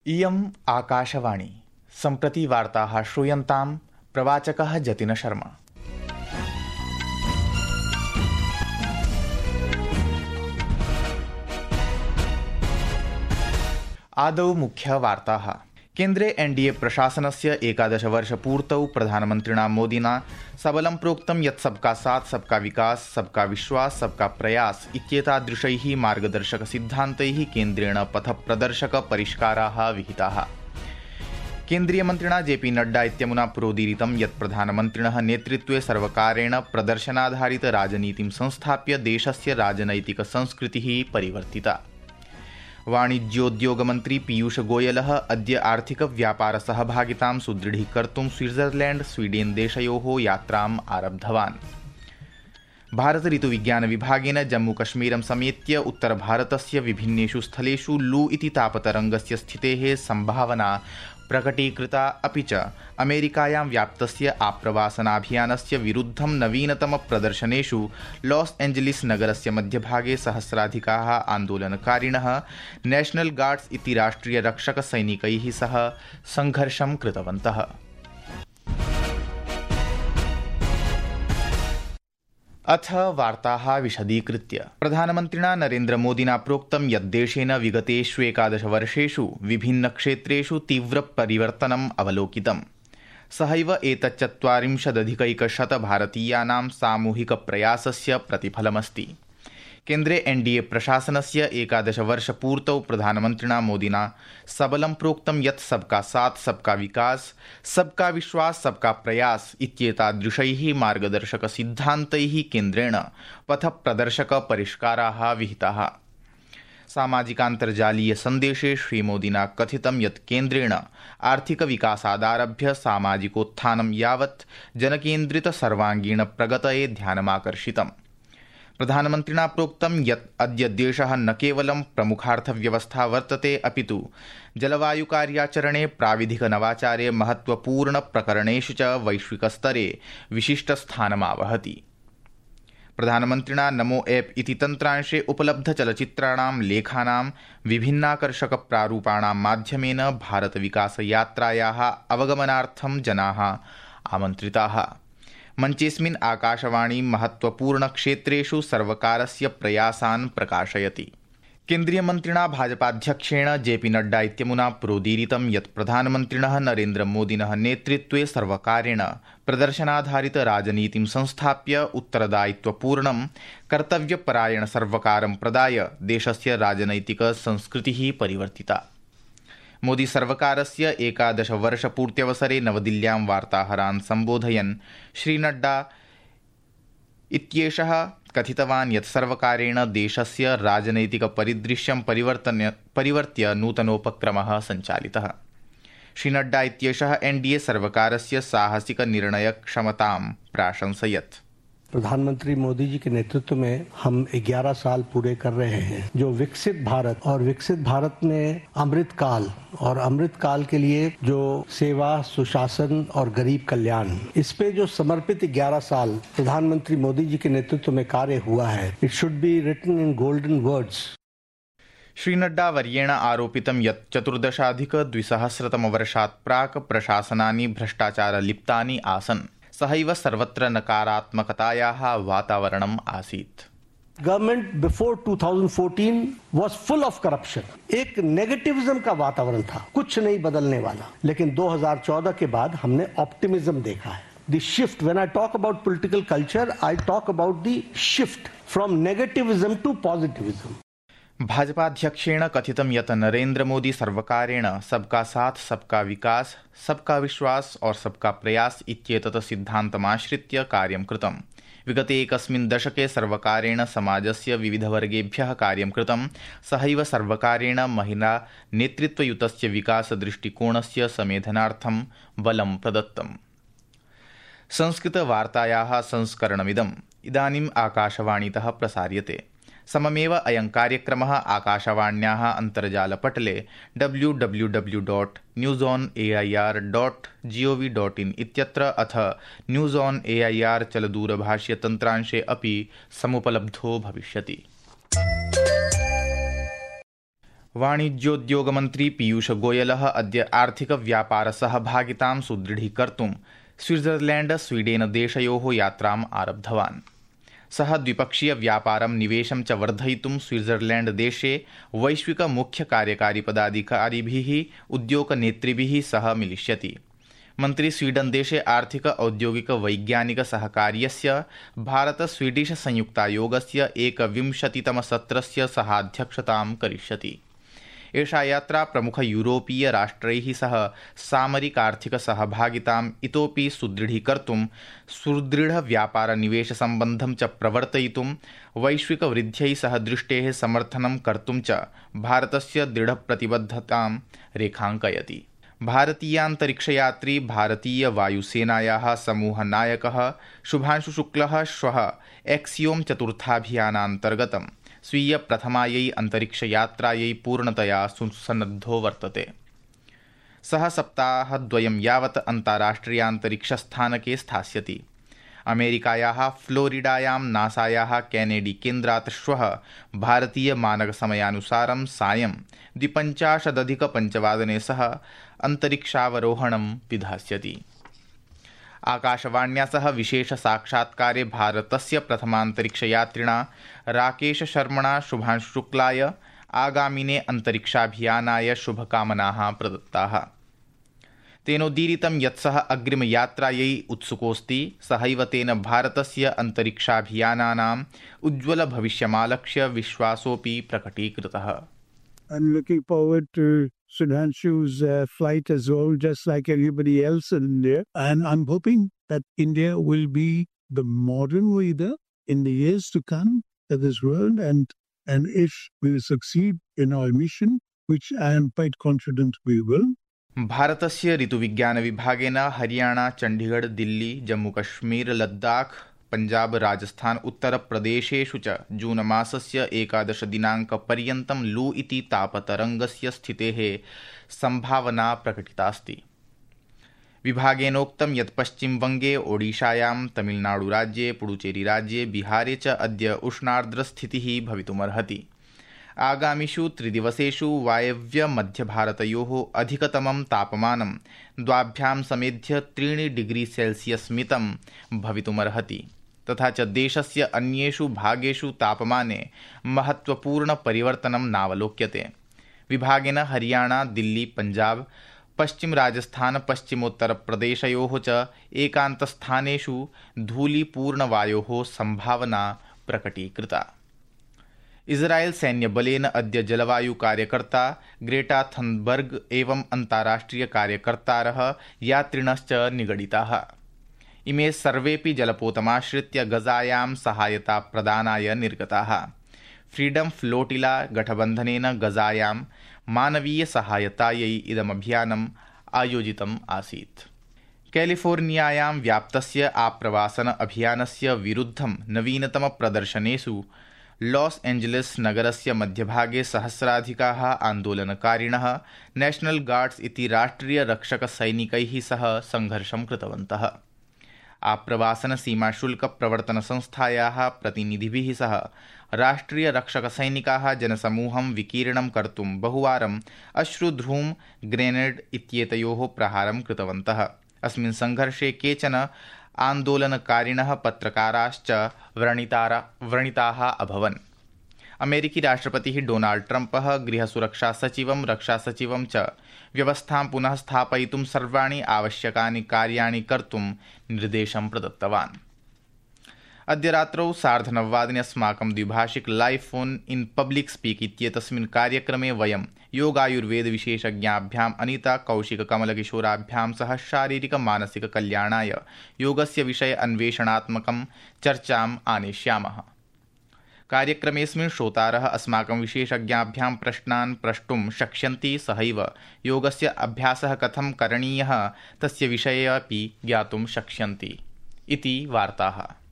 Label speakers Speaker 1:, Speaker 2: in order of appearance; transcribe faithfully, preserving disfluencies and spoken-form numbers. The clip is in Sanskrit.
Speaker 1: इयम् आकाशवाणी सम्प्रति वार्ताः श्रूयन्तां प्रवाचकः जतिन शर्मा। आदौ मुख्यवार्ताः। केन्द्रे एनडीए प्रशासनस्य एकादशवर्षपूर्तौ प्रधानमन्त्रिणा मोदिना सबलं प्रोक्तं यत् सबका साथ सबका विकास सबका विश्वास सबका प्रयास इत्येतादृशैः मार्गदर्शकसिद्धान्तैः केन्द्रेण पथप्रदर्शक परिष्काराः विहिताः। केन्द्रीयमन्त्रिणा जेपी नड्डा इत्यमुना प्रोदीरितं यत् प्रधानमन्त्रिणः नेतृत्वे सर्वकारेण प्रदर्शनाधारित राजनीतिं संस्थाप्य देशस्य राजनैतिक संस्कृतिः परिवर्तिता। वाणिज्योद्योगमन्त्री पीयूष गोयलः अद्य आर्थिक व्यापार सहभागितां सुदृढीकर्तुं स्विट्जरलैण्ड स्वीडेन देशयोः यात्राम् आरब्धवान्। भारत ऋतुविज्ञान विभागेन जम्मूकश्मीरं समेत्य उत्तरभारतस्य विभिन्नेषु स्थलेषु लू इति तापतरङ्गस्य स्थितेः सम्भावना प्रकटीकृता। अपि च अमेरिकायां व्याप्तस्य आप्रवासनाभियानस्य विरुद्धं नवीनतम प्रदर्शनेषु लॉस एंजलिस नगरस्य मध्यभागे सहस्राधिकाः आन्दोलनकारिणः नेशनल गार्ड्स इति राष्ट्रियरक्षकसैनिकैः सह संघर्षं कृतवन्तः। अथ वार्ताः विशदीकृत्य। प्रधानमन्त्रिणा नरेन्द्रमोदिना प्रोक्तं यत् देशेन विगतेषु एकादशवर्षेषु विभिन्नक्षेत्रेषु तीव्रपरिवर्तनम् अवलोकितम्। सहैव एतच्चत्वारिंशदधिकैकशत भारतीयानां सामूहिकप्रयासस्य प्रतिफलमस्ति। केन्द्रे एनडीए प्रशासनस्य एकादशवर्षपूर्तौ प्रधानमन्त्रिणा मोदिना सबलं प्रोक्तं यत् सबका साथ सबका विकास सबका विश्वास सबका प्रयास इत्येतादृशैः मार्गदर्शकसिद्धान्तैः केन्द्रेण पथप्रदर्शक परिष्काराः विहिताः। सामाजिकान्तर्जालीय सन्देशे श्रीमोदिना कथितं यत् केन्द्रेण आर्थिकविकासादारभ्य सामाजिकोत्थानं यावत् जनकेन्द्रित सर्वाङ्गीण प्रगतये ध्यानमाकर्षितम्। प्रधानमन्त्रिणा प्रोक्तं यत् अद्य देशः न केवलं प्रमुखार्थव्यवस्था वर्तते अपितु जलवायुकार्याचरणे प्राविधिक नवाचारे महत्वपूर्ण प्रकरणेषु च वैश्विकस्तरे विशिष्टस्थानमावहति। प्रधानमन्त्रिणा नमो ऐप इति तन्त्रांशे उपलब्धचलच्चित्राणां लेखानां विभिन्नाकर्षक प्रारूपाणां माध्यमेन भारतविकासयात्रायाः अवगमनार्थं जनाः आमन्त्रिताः। मञ्चेऽस्मिन् आकाशवाणी महत्वपूर्णक्षेत्रेषु सर्वकारस्य प्रयासान् प्रकाशयति। केन्द्रीयमन्त्रिणा भाजपाध्यक्षेण जेपी नड्डा इत्यमुना प्रोदीरितं यत् प्रधानमन्त्रिणः नरेन्द्रमोदिनः नेतृत्वे सर्वकारेण प्रदर्शनाधारित राजनीतिं संस्थाप्य उत्तरदायित्वपूर्णं कर्तव्यपरायण सर्वकारं प्रदाय देशस्य राजनैतिक संस्कृतिः परिवर्तिता। मोदी सर्वकारस्य एकादशवर्षपूर्त्यवसरे नवदिल्ल्यां वार्ताहरान् सम्बोधयन् श्रीनड्डा इत्येषः कथितवान् यत् सर्वकारेण देशस्य राजनैतिक परिदृश्यं परिवर्तन परिवर्त्य नूतनोपक्रमः सञ्चालितः। श्रीनड्डा इत्येषः एनडीए सर्वकारस्य साहसिक निर्णयक्षमतां प्राशंसयत्।
Speaker 2: प्रधानमंत्री मोदी जी के नेतृत्व में हम ग्यारह साल पूरे कर रहे हैं, जो विकसित भारत और विकसित भारत में अमृत काल और अमृत काल के लिए जो सेवा सुशासन और गरीब कल्याण, इस पे जो समर्पित ग्यारह साल प्रधानमंत्री मोदी जी के नेतृत्व में कार्य हुआ है, it should be written in golden words.
Speaker 1: Shri Nadda वर्येण आरोपितं यत् चतुर्दशाधिक द्विसहस्रतमवर्षात् प्राक् प्रशासनानि भ्रष्टाचारलिप्तानि आसन्। सहैव सर्वत्र नकारात्मकतायाः वातावरणम् आसीत्।
Speaker 2: Government before two thousand fourteen was full of corruption. एक नेगेटिविज्म का वातावरण था, कुछ नहीं बदलने वाला। लेकिन दो हज़ार चौदह के बाद हमने ऑप्टिमिज्म देखा है। The shift, when I talk about political culture, I talk about the shift from negativism to positivism.
Speaker 1: भाजपाध्यक्षेण कथितं यत् नरेन्द्र मोदी सर्वकारेण सबका साथ सबका विकास सबका विश्वास और सबका प्रयास इत्येतत् सिद्धान्तमाश्रित्य कार्यं कृतम्। विगते एकस्मिन् दशके सर्वकारेण समाजस्य विविधवर्गेभ्यः कार्यं कृतं। सहैव सर्वकारेण महिला नेतृत्वयुतस्य विकासदृष्टिकोणस्य समेधनार्थं बलं प्रदत्तम्। संस्कृतवार्तायाः संस्करणमिदम् इदानीम् आकाशवाणीतः प्रसार्यते। सममेव अयं कार्यक्रमः आकाशवाण्याः अन्तर्जालपटले W W W dot news on A I R dot G O V dot in इत्यत्र अथ news on A I R चलदूरभाष्यतन्त्रांशे अपि समुपलब्धो भविष्यति। वाणिज्योद्योगमन्त्री पीयूषगोयलः अद्य आर्थिकव्यापारसहभागितां सुदृढीकर्तुं स्विट्जरलैण्ड स्वीडेन देशयोः यात्राम् आरब्धवान्। सः द्विपक्षीयव्यापारं निवेशं च वर्धयितुं स्विट्जरलैण्ड देशे वैश्विक मुख्य कार्यकारी पदाधिकारिभिः उद्योगनेतृभिः सह मिलिष्यति। मन्त्री स्वीडन देशे आर्थिक औद्योगिक वैज्ञानिक सहकार्यस्य भारत स्वीडिश संयुक्तायोगस्य एकविंशतितमसत्रस्य सहाध्यक्षतां करिष्यति। एषा यात्रा प्रमुख यूरोपीय राष्ट्रैः सह सामरिकार्थिक सहभागिताम् इतोपि सुदृढीकर्तुं सुदृढ व्यापार निवेश सम्बन्धं च प्रवर्तयितुं वैश्विक वृद्ध्यै सह दृष्टेः समर्थनं कर्तुं च भारतस्य दृढप्रतिबद्धतां रेखाङ्कयति। भारतीयान्तरिक्षयात्री भारतीय वायुसेनायाः समूहनायकः शुभांशु शुक्लः श्वः एक्सियोम चतुर्थाभियानान्तर्गतं स्वीय प्रथमायै अन्तरिक्षयात्रायै पूर्णतया सुसन्नद्धो वर्तते। सः सप्ताहद्वयं यावत् अन्ताराष्ट्रियान्तरिक्षस्थानके स्थास्यति। अमेरिकायाः फ्लोरिडायां नासायाः केनेडी केन्द्रात् श्वः भारतीयमानकसमयानुसारं सायं द्विपञ्चाशदधिकपञ्चवादने सः अन्तरिक्षावरोहणं विधास्यति। आकाशवाण्या सह विशेष साक्षात्कारे भारतस्य प्रथमान्तरिक्षयात्रिणा राकेश शर्मणा शुभांशु शुक्लाय आगामिने अन्तरिक्षाभियानाय शुभकामनाः प्रदत्ताः। तेनोदीरितं यत् सः अग्रिमयात्रायै उत्सुकोऽस्ति। सहैव तेन भारतस्य अन्तरिक्षाभियानानाम् उज्ज्वलभविष्यमालक्ष्य विश्वासोऽपि प्रकटीकृतः।
Speaker 3: I'm looking forward to Sudhanshu's uh, flight as well, just like everybody else in India. And I'm hoping that India will be the modern leader in the years to come of this world. And, and if we succeed in our mission, which I am quite confident we will.
Speaker 1: भारतस्य ऋतुविज्ञानविभागेन हरियाणा, चण्डीगढ़, दिल्ली, जम्मूकश्मीर, लद्दाख, पंजाब, राजस्थान, उत्तरप्रदेशेषु च जून मासस्य एकादश दिनाङ्कपर्यन्तं लू इति तापतरङ्गस्य स्थितेः सम्भावना प्रकटितास्ति। विभागेनोक्तं यत् पश्चिमवङ्गे, ओडिशायां, तमिलनाडुराज्ये, पुडुचेरीराज्ये, बिहारे च अद्य उष्णार्द्रस्थितिः भवितुमर्हति। आगामिषु त्रिदिवसेषु वायव्यमध्यभारतयोः अधिकतमं तापमानं द्वाभ्यां समेध्य त्रीणि डिग्री सेल्सियस् मितं भवितुमर्हति। तथा च देशस्य अन्येषु भागेषु तापमाने महत्त्वपूर्णपरिवर्तनं नावलोक्यते। विभागेन हरियाणा, दिल्ली, पंजाब, पश्चिम राजस्थान, पश्चिमोत्तरप्रदेशयोः च एकान्तस्थानेषु धूलीपूर्णवायोः सम्भावना प्रकटीकृता। इस्राएल सैन्यबलेन अद्य जलवायुकार्यकर्ता ग्रेटा थनबर्ग एवं अन्ताराष्ट्रियकार्यकर्तारः यात्रिणश्च निगडिताः। इमे सर्वेपि जलपोतमाश्रित्य गजायां सहायताप्रदानाय निर्गताः। फ्रीडम फ्लोटिला गठबन्धनेन गजायां मानवीयसहायतायै इदमभियानम् आयोजितम् आसीत्। कैलिफोर्नियायां व्याप्तस्य आप्रवासन अभियानस्य विरुद्धं नवीनतमप्रदर्शनेषु लॉस एंजलिस नगरस्य मध्यभागे सहस्राधिकाः आन्दोलनकारिणः नेशनल गार्ड्स इति राष्ट्रियरक्षकसैनिकैः सह संघर्षं कृतवन्तः। आप्रवासन सीमाशुल्कप्रवर्तनसंस्थायाः प्रतिनिधिभिः सह राष्ट्रियरक्षकसैनिकाः जनसमूहं विकीर्णं कर्तुं बहुवारम् अश्रुधूम ग्रेनेड इत्येतयोः प्रहारं कृतवन्तः। अस्मिन् संघर्षे केचन आन्दोलनकारिणः पत्रकाराश्च व्रणिताः अभवन्। अमेरिकी राष्ट्रपतिः डोनाल्ड ट्रम्पः गृहसुरक्षासचिवं, रक्षासचिवं च व्यवस्थां पुनः स्थापयितुं सर्वाणि आवश्यकानि कार्याणि कर्तुं निर्देशं प्रदत्तवान्। अद्य रात्रौ सार्धनववादने अस्माकं द्विभाषिक live phone in public speak इत्येतस्मिन् कार्यक्रमे वयं योगायुर्वेदविशेषज्ञाभ्याम् अनिता कौशिक कमलकिशोराभ्यां सह शारीरिक मानसिक कल्याणाय योगस्य विषये अन्वेषणात्मकं चर्चाम् आनेष्यामः। कार्यक्रमेऽस्मिन् श्रोतारः अस्माकं विशेषज्ञाभ्यां प्रश्नान् प्रष्टुं शक्ष्यन्ति। सहैव योगस्य अभ्यासः कथं करणीयः तस्य विषये अपि ज्ञातुं शक्ष्यन्ति इति वार्ताः।